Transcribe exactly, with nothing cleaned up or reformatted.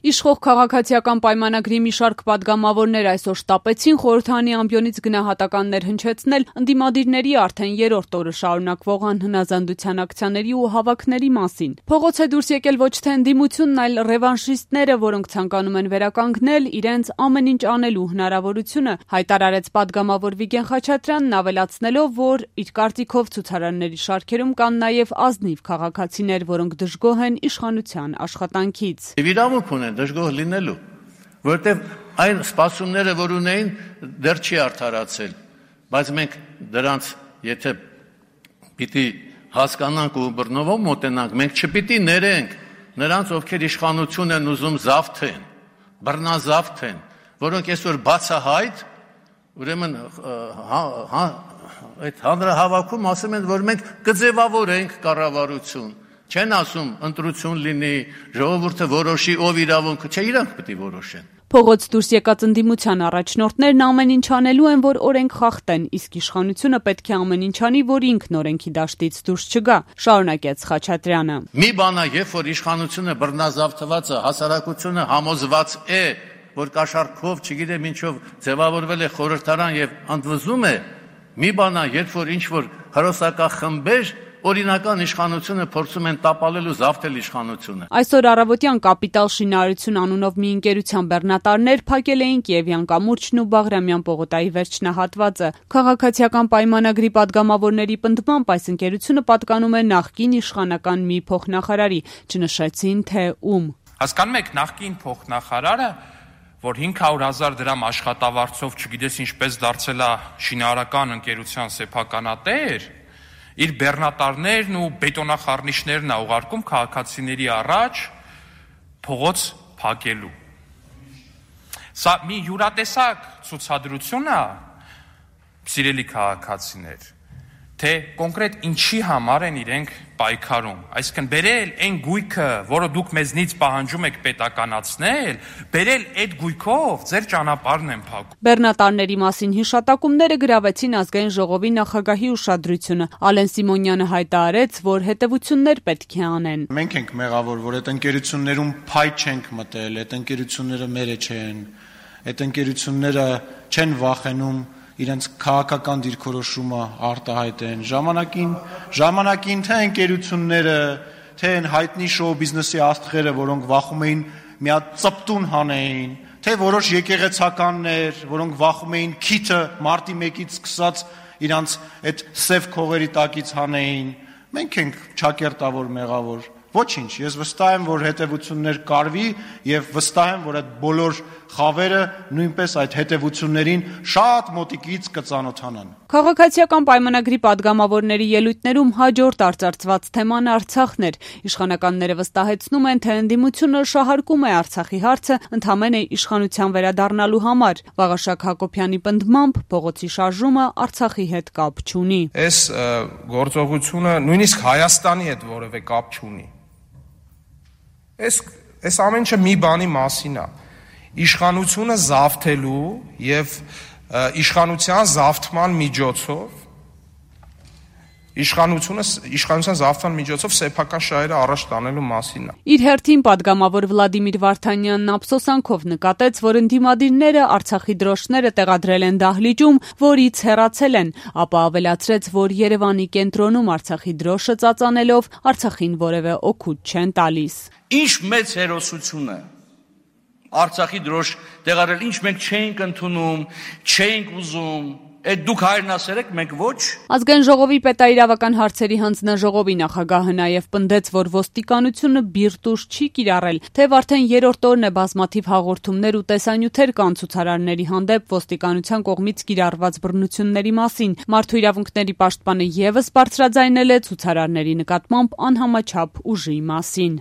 Իշխող քաղաքացիական պայմանագրի մի շարք պատգամավորներ այսօր շտապեցին խորհրդարանի ամբիոնից գնահատականներ հնչեցնել ընդդիմադիրների արդեն երրորդ օրը շարունակվող անհնազանդության ակցիաների ու հավաքների մասին։ Փողոց է դուրս եկել ոչ թե ընդդիմությունն, այլ ռևանշիստները, որոնք ցանկանում են վերականգնել իրենց ամեն ինչ անելու հնարավորությունը, հայտարարեց պատգամավոր Վիգեն Խաչատրյանն, ավելացնելով, որ իր կարծիքով ցուցարարների շարքերում կան նաև ազնիվ քաղաքացիներ, որոնք դժգոհ են իշխանության աշխատանքից։ Դժգոհ լինելու, որովհետև այն սպասումները, որ ունեին, դեռ չի արդարացել, բայց մենք դրանց, եթե պիտի հասկանանք ու բռնովով մոտենանք, մենք չպիտի ներենք նրանց, ովքեր իշխանություն են ուզում զավթեն, բռնազավթեն, որոնք այսօր բացահայտ, ուրեմն այդ հանրահավաքում ասում են, որ մենք կձևավորենք կառավարություն, չեն ասում ընտրություն լինի, ժողովուրդը որոշի, ով իրավունքը, չէ, իրանք պետք է որոշեն։ Փողոց դուրս եկած ընդդիմության առաջնորդներն ամեն ինչ անելու են, որ օրենք խախտեն, իսկ իշխանությունը պետք է ամեն ինչ անի, որ ինքն օրենքի դաշտից դուրս չգա, շարունակեց Խաչատրյանը։ Մի բան է, երբ որ իշխանությունը բռնազավթված է, հասարակությունը համոզված է, որ կաշառքով, չգիտեմ ինչով ձևավորվել է խորհրդարան եւ ընդվզում է, մի բան է, երբ որ ինչ որ հրոսակախմբեր օրինական իշխանությունը փորձում են տապալել ու զավթել իշխանությունը։ Այսօր առավոտյան Կապիտալ շինարարություն անունով մի ընկերության բեռնատարներ փակել էին Կիևյան կամուրջն ու Բաղրամյան պողոտայի վերջնահատվածը։ Քաղաքացիական պայմանագրի պատգամավորների պնդմամբ այս ընկերությունը պատկանում է նախկին իշխանական մի փոխնախարարի, չնշեցին թե ում։ Հասկանում եք, նախկին փոխնախարարը, որ հինգ հարյուր հազար դրամ աշխատավարձով, չգիտես ինչպես դարձել է շինարարական ընկերության սեփականատեր, իր բեռնատարներն ու բետոնախառնիչներն է ուղարկում քաղաքացիների առաջ փողոց փակելու։ Սա մի յուրատեսակ ցուցադրություն է, սիրելի քաղաքացիներ, թե կոնկրետ ինչի համար են իրենք պայքարում։ Այսինքն բերել այն գույքը, որը դուք մեզնից պահանջում եք պետականացնել, բերել այդ գույքով ձեր ճանապարհն են փակում։ Բեռնատարների մասին հիշատակումները գրավեցին ազգային ժողովի նախագահի ուշադրությունը։ Ալեն Սիմոնյանը հայտարարեց, որ հետևություններ պետք է անեն։ Մենք ենք մեղավոր, որ այդ ընկերություններում փայ չենք մտել, այդ ընկերությունները մերը չեն, այդ ընկերությունները չեն վախենում իրենց քաղաքական դիրքորոշումը արտահայտեն, ժամանակին, ժամանակին թե ընկերությունները, թե հայտնի շոու բիզնեսի աստղերը, որոնք վախում էին մի հատ ծպտուն հանեին, թե որոշ եկեղեցականներ, որոնք վախում էին քիթը մարտի մեկից սկսած իրանց այդ սև քողերի տակից հանեին, մենք ենք ճակերտավոր մեղավոր։ Ոչինչ, ես վստահ եմ, որ հետևություններ կարվի եւ վստահ եմ, որ այդ բոլոր խավերը նույնպես այդ հետևություններին շատ մոտիկից կծանոթանան։ Քաղաքացիական պայմանագրի պատգամավորների ելույթներում հաջորդ արծարծված թեման Արցախն էր։ Իշխանականները վստահեցնում են, թե ընդդիմությունը շահարկում է Արցախի հարցը ընդհանրապես իշխանության վերադառնալու համար։ Վաղաշակ Հակոբյանի պնդմամբ փողոցի շարժումը Արցախի հետ կապ չունի։ Այս գործողությունը նույնիսկ Հայաստանի հետ որևէ կապ չունի։ Այս այս ամեն ինչը մի բանի մասին է։ Իշխանությունը զավթելու եւ իշխանության զավթման միջոցով իշխանությունը իշխանության զավթման միջոցով սեփական շահերը առաջ տանելու մասին է։ Իր հերթին պատգամավոր Վլադիմիր Վարդանյանն ափսոսանքով նկատեց, որ ընդդիմադիրները Արցախի դրոշները տեղադրել են դահլիճում, որից հեռացել են, ապա ավելացրեց, որ Երևանի կենտրոնում Արցախի դրոշը ծածանելով Արցախին որևէ օգուտ չեն տալիս։ Ինչ մեծ հերոսություն է Արցախի դրոշ տեղադրել, ինչ մենք չէինք ընդունում, չէինք ուզում, այդ դուք հայրն ասերեք, մենք ոչ։ Ազգային ժողովի պետաիրավական հարցերի հանձնաժողովի նախագահը նաև պնդեց, որ ոստիկանությունը բիրտուժ չի կիրառել, թեև արդեն երրորդ օրն է բազմաթիվ հաղորդումներ ու տեսանյութեր կան ցուցարարների հանդեպ ոստիկանության կողմից կիրառված բռնությունների մասին։ Մարդու իրավունքների պաշտպանը ևս բարձրաձայնել է ցուցարարների նկատմամբ անհամաչափ ուժի մասին։